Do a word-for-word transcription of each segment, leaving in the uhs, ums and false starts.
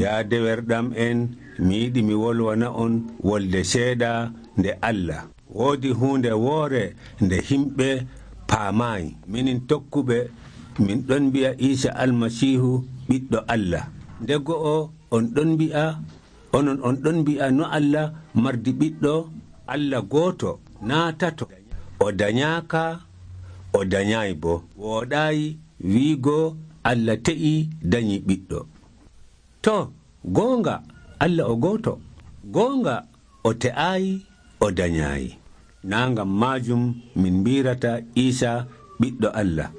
yaa dewerɗam en, mi yiɗi mi wolwana on wolde seeɗa nde Allah. Woodi huunde woore nde himɓe paamaayi. Minin tokkuɓe min ɗon mbi'a Iisa almasiihu ɓiɗɗo Allah. Nde go'o on ɗon mbi'a onon on ɗon mbi'a no Allah mardi ɓiɗɗo Allah gooto naa tato. O dañaaka, o dañaayi bo. Wooɗaayi wiigo Allah te'i dañi ɓiɗɗo. To, goonga Allah o gooto. Goonga o te'aayi, o dañaayi. Naa ngam maajum min mbirata Iisa ɓiɗɗo Allah.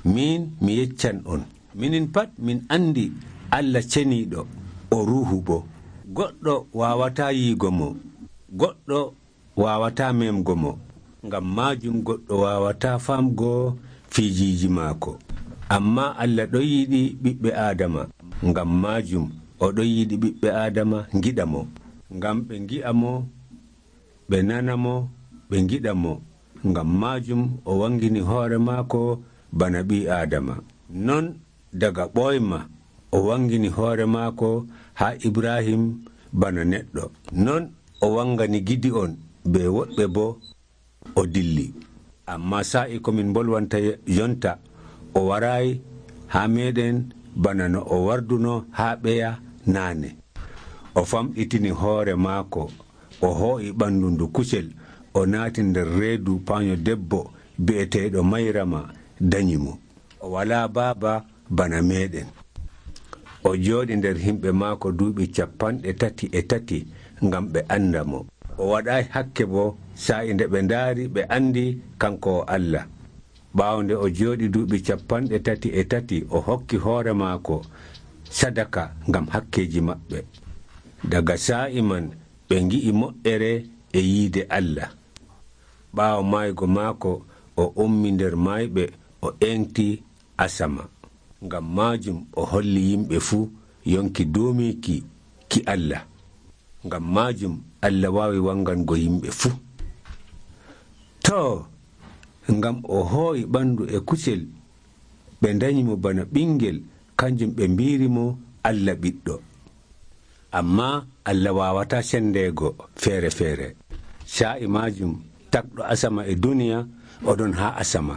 Min mi yeccan on, minin pat min andi Allah ceniiɗo, o ruuhu bo. Goɗɗo waawataa yiigo mo, goɗɗo waawataa memgo mo. Ngam maajum goɗɗo waawataa famgo fiijiiji maako. Amma Allah ɗon yiɗi ɓiɓɓe Aadama. Ngam maajum o ɗon yiɗi ɓiɓɓe Aadama ngiɗa mo. Ngam ɓe ngi'a mo, ɓe nana mo, ɓe ngiɗa mo. Ngam maajum o wangini hoore maako bana ɓii Aadama. Non daga ɓoyma o wangini hoore maako haa Ibrahim bana neɗɗo. Non o wangani Gidi'on be woɓɓe bo o dilli. Amma sa'i ko min bolwanta jonta o waraayi haa meɗen bana no o warduno haa ɓeya naane. O famɗitini hoore maako, o hoo'i ɓanndu ndu kusel, o naati nder reedu paanyo debbo bi'eteeɗo Mayrama dañi mo. O walaa baaba bana meɗen. O jooɗi nder himɓe maako duuɓi capanɗe tati e tati ngam ɓe anda mo. O waɗaayi hakke bo sa'i nde ɓe ndaari ɓe andi kanko o Allah. Ɓaawo nde o jooɗi duuɓi capanɗe tati e tati, o hokki hoore maako sadaka ngam hakkeeji maɓɓe. Daga sa'i man ɓe ngi'i moƴƴere e yiide Allah. Ɓaawo maaygo maako o ummi nder maayɓe, o eŋti asama. Ngam maajum o holli yimɓe fuu yonki duumiiki ki Allah. Ngam maajum Allah waawi wangango yimɓe fuu. To, ngam o hooyi ɓanndu e kusel, ɓe dañi mo bana ɓingel, kanjum ɓe mbiiri mo Allah ɓiɗɗo. Amma Allah waawataa sendeego feere feere. Sa'i maajum takɗo asama e duniya oɗon haa asama.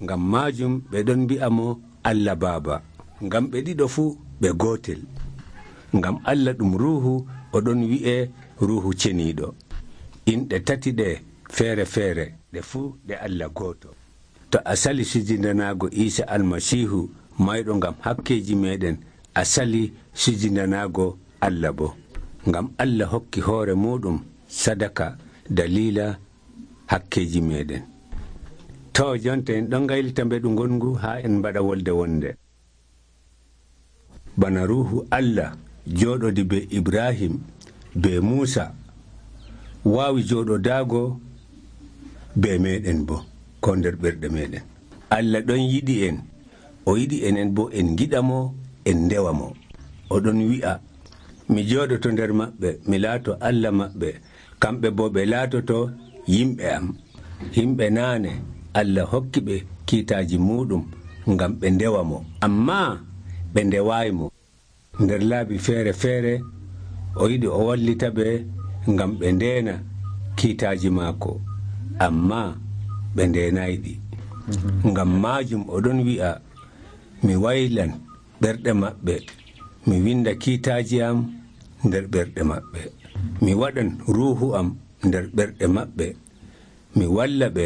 Ngam maajum ɓe ɗon mbi'a mo Allah Baaba. Ngam ɓe ɗiɗo fuu ɓe gootel. Ngam Allah ɗum ruuhu, oɗon wi'e ruuhu ceniiɗo. Inɗe tati ɗe feere feere, ɗe fuu ɗe Allah gooto. To a sali sujindanaago Iisa almasiihu mayɗo ngam hakkeeji meɗen, a sali sujindanaago Allah bo. Ngam Allah hokki hoore muɗum sadaka dalila hakkeeji meɗen. To jonta en ɗon gaylita mbeɗu ngongu haa en mbaɗa wolde wonde. Bana ruuhu Allah jooɗodi be Ibrahim be Muusa waawi jooɗodaago be meɗen bo, ko nder ɓerɗe meɗen. Allah ɗon yiɗi en, o yiɗi enen bo en giɗa mo, en ndewa mo. Oɗon wi'a, mi jooɗoto nder maɓɓe, mi laato Allah maɓɓe, kamɓe bo ɓe laatoto yimɓe am. Yimɓe naane Allah hokki ɓe kiitaaji muɗum ngam ɓe ndewa mo, amma ɓe ndewaayi mo. Nder laabi feere feere o yiɗi o wallita ɓe ngam ɓe ndeena kiitaaji maako, amma ɓe ndeenaayi ɗi. Mm-hmm. Ngam maajum oɗon wi'a, mi waylan ɓerɗe maɓɓe, mi winda kiitaaji am nder ɓerɗe maɓɓe, mi waɗan ruuhu am nder ɓerɗe maɓɓe, mi walla ɓe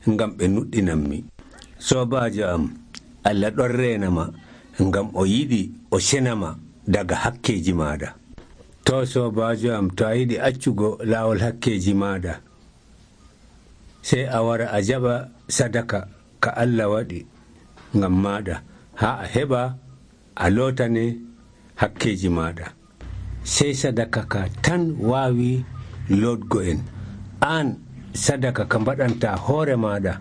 ngam ɓe nuɗɗinanmi. Soobaajo am, Allah ɗon reenama ngam o yiɗi o senama daga hakkeeji maaɗa. To soobaajo am, to a yiɗi accugo laawol hakkeeji maaɗa, sey a wara a jaɓa sadaka ka Allah waɗi ngam maaɗa, haa a heɓa a lootane hakkeeji maaɗa. Sey sadaka ka tan waawi lootgo en. Aan sadaka ka mbaɗanta hoore maaɗa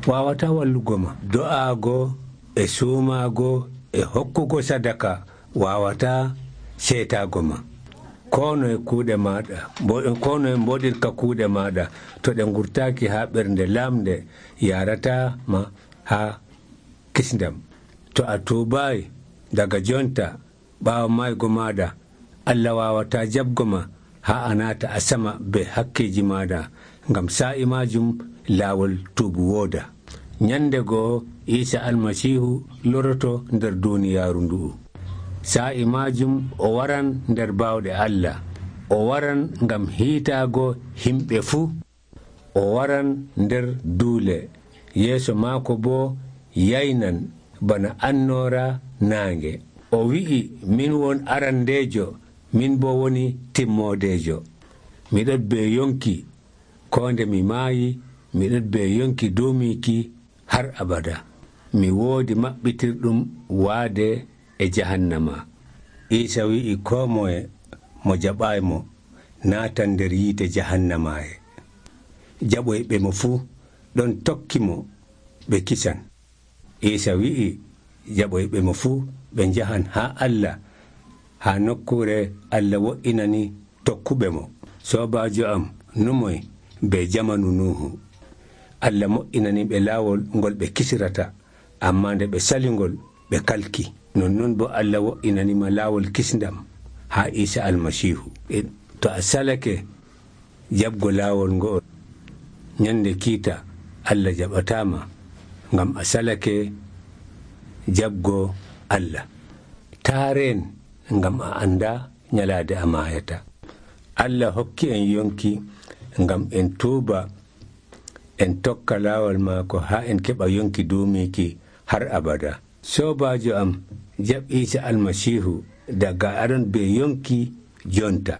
waawata wallugo ma. Do'aago e suumaago e hokkugo sadaka waawata seetaago ma. Kono e kuuɗe maaɗa, kono e mboɗirka kuuɗe maaɗa, to ɗe ngurtaaki haa ɓernde laamde, yarata ma haa kisndam. To a tuubaayi daga jonta, ɓaawo maygo maaɗa Allah waawataa jaɓgo ma haa a naata a sama be hakkeeji maaɗa, ngam saa'i maajum laawol tuubu wooda. Nyande goo Iisa almasiihu loroto nder duuniyaaru ndu'u. Saa'i maajum o waran nder baawɗe Allah. O waran ngam hiitaago himɓe fuu. O waran nder duule, yeeso maako boo yaynan bana annoora naange. O wi'i, min won arandeejo, min boo woni timmoodeejo. Miɗon bee yonki koo nde mi maayi, miɗon bee yonki duumiiki har abada. Mi woodi maɓɓitirɗum waade e jahannama. Iisa wi'i koo moye mo jaɓaaymo naatan nder yiite jahannamaaye. Jaɓoyɓe mo fuu ɗon tokki mo ɓe kisan. Iisa wi'i jaɓoyɓe mo fuu ɓe njahan haa Allah, haa nokkuure Allah wo'inani tokkuɓe mo. Soobaajo am, numoy be jamanu Nuuhu. Allah mo'inani ɓe laawol ngol ɓe kisirata, ammaa nde ɓe salingol ɓe kalki. Nonnon boo Allah wo'inanima laawol kisndam haa Iisa almasiihu. To a salake jaɓgo laawol ngo'ol, nyande kiita Allah jaɓataama, ngam a salake jaɓgo Allah. Taareen ngam a annda nyalaade a maayata. Allah hokki en yonki ngam en tuuba, en tokka laawol maako haa en keɓa yonki duumiiki har abada. Soobaajo am, jaɓ Iisa almasiihu daga aɗon be yonki jonta.